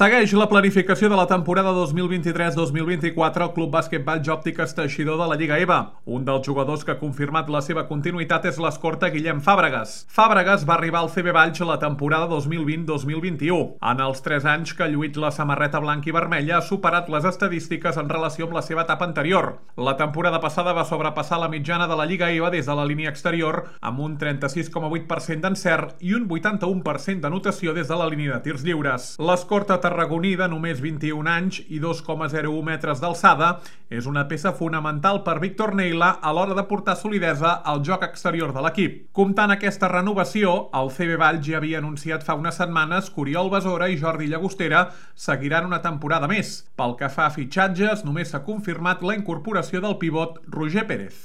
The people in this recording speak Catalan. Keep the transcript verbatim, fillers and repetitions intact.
Segueix la planificació de la temporada dos mil vint-i-tres dos mil vint-i-quatre al Club Bàsquet Valls Òptiques Teixidor de la Lliga E V A. Un dels jugadors que ha confirmat la seva continuïtat és l'escorta Guillem Fàbregas. Fàbregas va arribar al C B Valls la temporada dos mil vint dos mil vint-i-u. En els tres anys que ha lluït la samarreta blanca i vermella ha superat les estadístiques en relació amb la seva etapa anterior. La temporada passada va sobrepassar la mitjana de la Lliga E V A des de la línia exterior amb un trenta-sis coma vuit per cent d'encert i un vuitanta-u per cent d'anotació des de la línia de tirs lliures. L'escorta tarragoní de només vint-i-un anys i dos coma zero u metres d'alçada és una peça fonamental per Víctor Neila a l'hora de portar solidesa al joc exterior de l'equip. Comptant aquesta renovació, el C B Valls ja havia anunciat fa unes setmanes que Oriol Besora i Jordi Llagostera seguiran una temporada més. Pel que fa a fitxatges, només s'ha confirmat la incorporació del pivot Roger Pérez.